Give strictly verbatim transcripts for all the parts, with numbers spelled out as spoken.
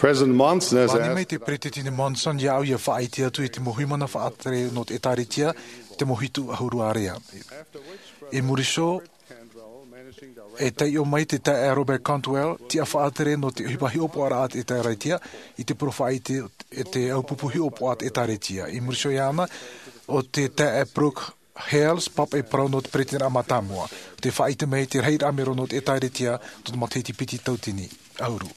President Monson has asked mai te Peresideni Monson iā ʻu ia faʻaʻite atu i te mau huimana faʻatere nō te ʻĒtārētia, te mau hitu ʻahuru ārea. I muri iho, e taiʻo mai te taeaʻe Robert Cantwell, tiʻa faʻatere nō te ʻohipa hiʻopoʻaraʻa a te ʻĒtārētia, i te porofaʻa i te, e te ʻaupupu hiʻopoʻa a te ʻĒtārētia. I muri iho iāna, ʻo te taeaʻe Brooke Hales, pāpaʻi parau nō te Peresideni Mātāmua, te faʻaʻite mai te rahiraʻa mero nō te ʻĒtārētia, tō te matahiti piti tauatini ʻahuru.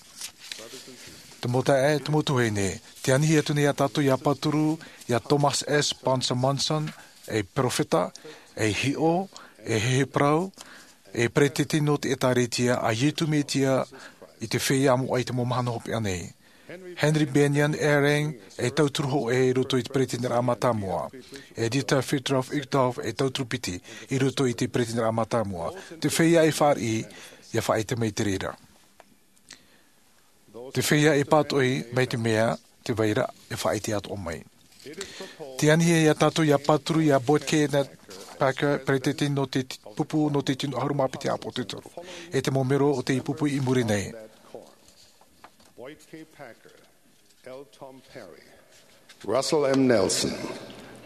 Te mau taeaʻe, te mau tuahine, tē anihi atu nei iā tātou ia pāturu iā Thomas S. Spencer Monson, ei perofeta, ei hiʻo, ei heheu parau, ei peresideni nō te ʻĒtārētia a Iesu Mesia i te feiā moʻa i te mau mahana hopeʻa nei. Henry Bennion Eyring, ei tauturu hōʻē i roto i te Peresideni Mātāmua. E Dieter Friedrich Uchtdorf, ei tauturu piti i roto i te Peresideni Mātāmua. Te feiā e fāriʻi, ia faʻaʻite mai te reira. Te feiā e pātoʻi mai te mea, tē vai ra, e faʻaʻite atoʻa mai. Tē anihi iā tātou ia pāturu iā Boyd Kenneth Packer, peresideni nō te pupu nō te tino ʻahuru mā piti ʻāpōsetolo, e te mau mero o te pupu i muri nei. Boyd K. Packer, L. Tom Perry, Russell M. Nelson,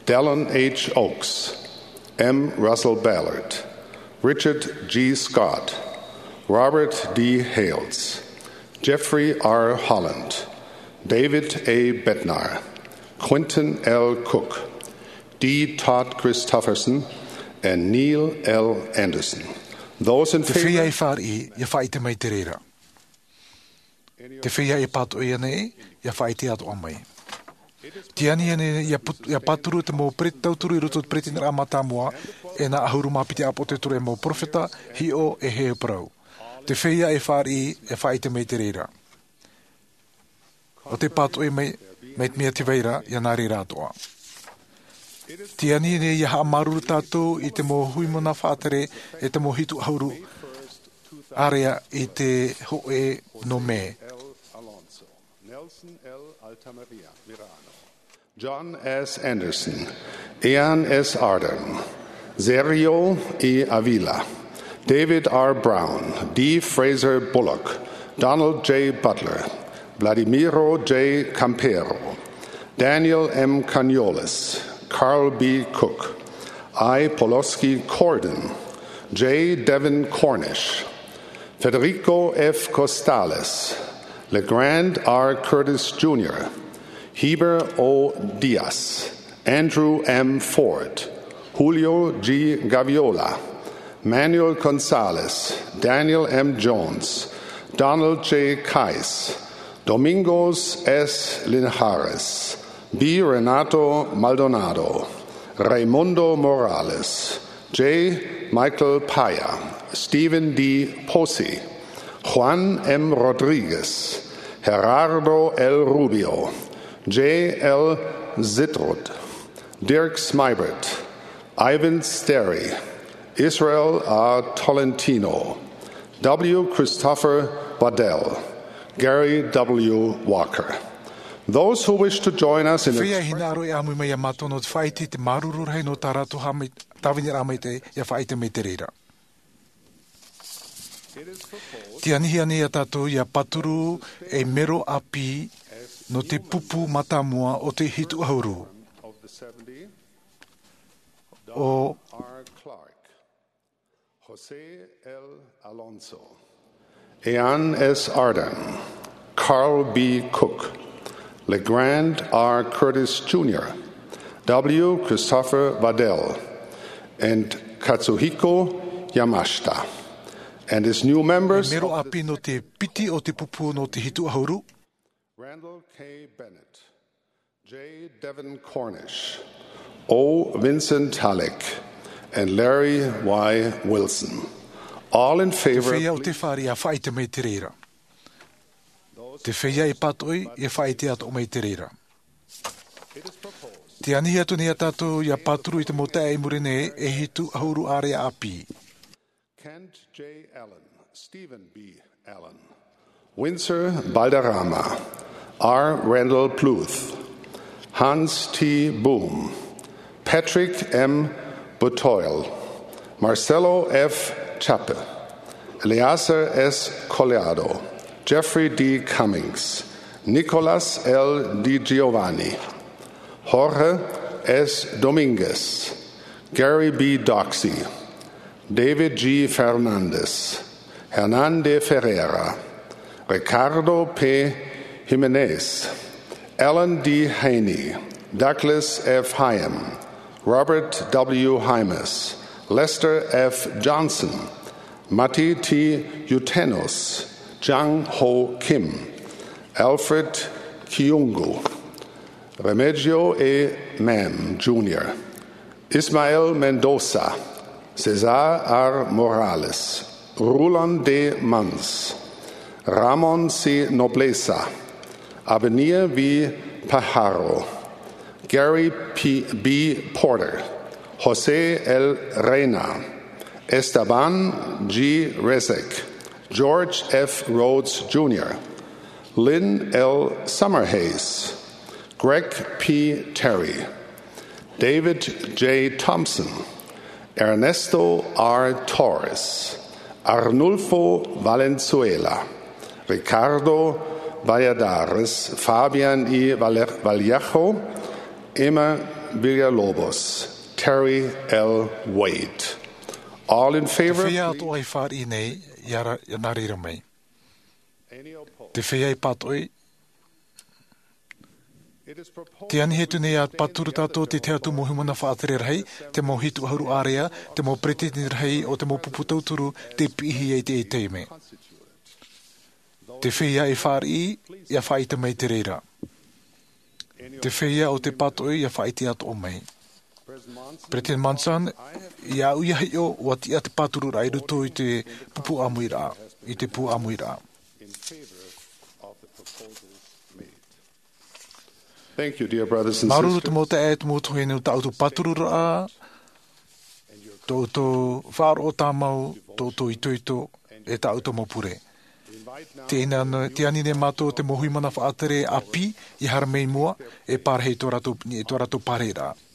Dallin H. Oaks, M. Russell Ballard, Richard G. Scott, Robert D. Hales, Jeffrey R. Holland, David A. Bednar, Quentin L. Cook, D. Todd Christofferson, and Neil L. Andersen. Those in favor? Te feiā e fāriʻi, ia faʻaʻite mai te reira. Te feiā e pātoʻi ānei, ia faʻaʻite atoʻa mai. Tē anihi nei ia put-, ia pāturu te mau pere-, tauturu i roto i te Peresideni Mātāmua, e nā ʻahuru mā piti ʻāpōsetolo, e mau perofeta, hiʻo, e heheu parau. Te feiā e fāriʻi, ia faʻaʻite mai te reira. ʻO te pātoʻi mai, mai te mea tē vai ra, ia nā reira atoʻa. Tē anihi nei ia haʻamāuruuru tātou i te mau huimana faʻatere, e te mau hitu ʻahuru ārea i te hōʻē nō mē. Nelson L. Altamaria, Mirano. John S. Anderson, Ian S. Ardern, Sergio E. Avila, David R. Brown, D. Fraser Bullock, Donald J. Butler, Vladimiro J. Campero, Daniel M. Cañolas, Carl B. Cook, I. Poloski Cordin, J. Devin Cornish, Federico F. Costales, LeGrand R. Curtis Junior, Heber O. Diaz, Andrew M. Ford, Julio G. Gaviola, Manuel Gonzalez, Daniel M. Jones, Donald J. Kais, Domingos S. Linhares, B. Renato Maldonado, Raimundo Morales, J. Michael Paya, Stephen D. Posey, Juan M. Rodriguez, Gerardo L. Rubio, J. L. Zitrud, Dirk Smeibert, Ivan Sterry, Israel A. Tolentino, W. Christopher Waddell, Gary W. Walker. Those who wish to join us in... Feiā e hinaʻaro e ʻāmui mai iā mātou nō te faʻaʻite i te māuruuru rahi nō tā rātou haʻamai-, tāviniraʻa maitaʻi, ia faʻaʻite mai te reira. Tē anihi ānei iā tātou ia pāturu ei mero ʻāpī nō te pupu mātāmua o te hitu ʻahuru. ʻO Jose L. Alonso, Ian S. Ardern, Carl B. Cook, LeGrand R. Curtis Junior, W. Christopher Waddell, and Katsuhiko Yamashita, and his new members. Mero ʻāpī nō te piti o te pupu nō te hitu ʻahuru. Randall K. Bennett, J. Devin Cornish, O. Vincent Halleck, and Larry Y. Wilson. All in favor, te feiā ʻo te fāriʻi, ia faʻaʻite mai te reira. Te feiā e pātoʻi, ia faʻaʻite atoʻa mai te reira. Tē anihi atu nei iā tātou ia pāturu i te mau taeaʻe i muri nei, e hitu ʻahuru ārea ʻāpī. Kent J. Allen, Stephen B. Allen, Winsor Balderrama, R. Randall Bluth, Hans T. Boom, Patrick M. Boutoil, Marcelo F. Chappe, Eleazar S. Collado, Jeffrey D. Cummings, Nicolas L. Di Giovanni, Jorge S. Dominguez, Gary B. Doxey, David G. Fernandez, Hernan de Ferreira, Ricardo P. Jimenez, Alan D. Haney, Douglas F. Hyam, Robert W. Hymas, Lester F. Johnson, Mati T. Utenos, Jang Ho Kim, Alfred Kiungu, Remigio E. Mam Junior, Ismael Mendoza, Cesar R. Morales, Roland D. Mans, Ramon C. Nobleza, Abenia V. Pajaro, Gary P. B. Porter, Jose L. Reina, Esteban G. Resnick, George F. Rhodes Junior, Lynn L. Summerhays, Greg P. Terry, David J. Thompson, Ernesto R. Torres, Arnulfo Valenzuela, Ricardo Valladares, Fabian E. Valle-, Vallejo, Emma Villalobos, Terry L. Wade. All in favor, Te feiā please. Atoʻa i fāriʻi nei, ia ra-, ia nā reira mai. Te feiā i pātoʻi. Te anihia atu nei ā pāturu tātou te tahi atu mau hīmene faʻatere rahi, te mau hitu ʻahuru ārea, te mau peretiteni rahi o te mau pupu tauturu, tei piʻihia i teie taime. Te feiā i fāriʻi, ia faʻaʻite mai te reira. Te feiā ʻo tē pātoʻi, ia faʻaʻite atoʻa mai. Peretiteni Monson, ia au ia hiʻo, ʻua tiʻa te pātururaʻa i roto i te pupu ʻāmuiraʻa, i te pū ʻāmuiraʻa. Thank you, dear brothers and sisters. Māuruuru te mau taeaʻe, te mau tuahine, tā ʻoutou pātururaʻa, tō ʻoutou faʻaroʻo tāmau, tō ʻoutou itoito, e tā ʻoutou mau pure. Tē ani nei, tē ani nei mātou te mau hīmene faʻatere ʻāpī, ia haere mai i mua, e pārahi i tō rātou, i tō rātou pārahiraʻa.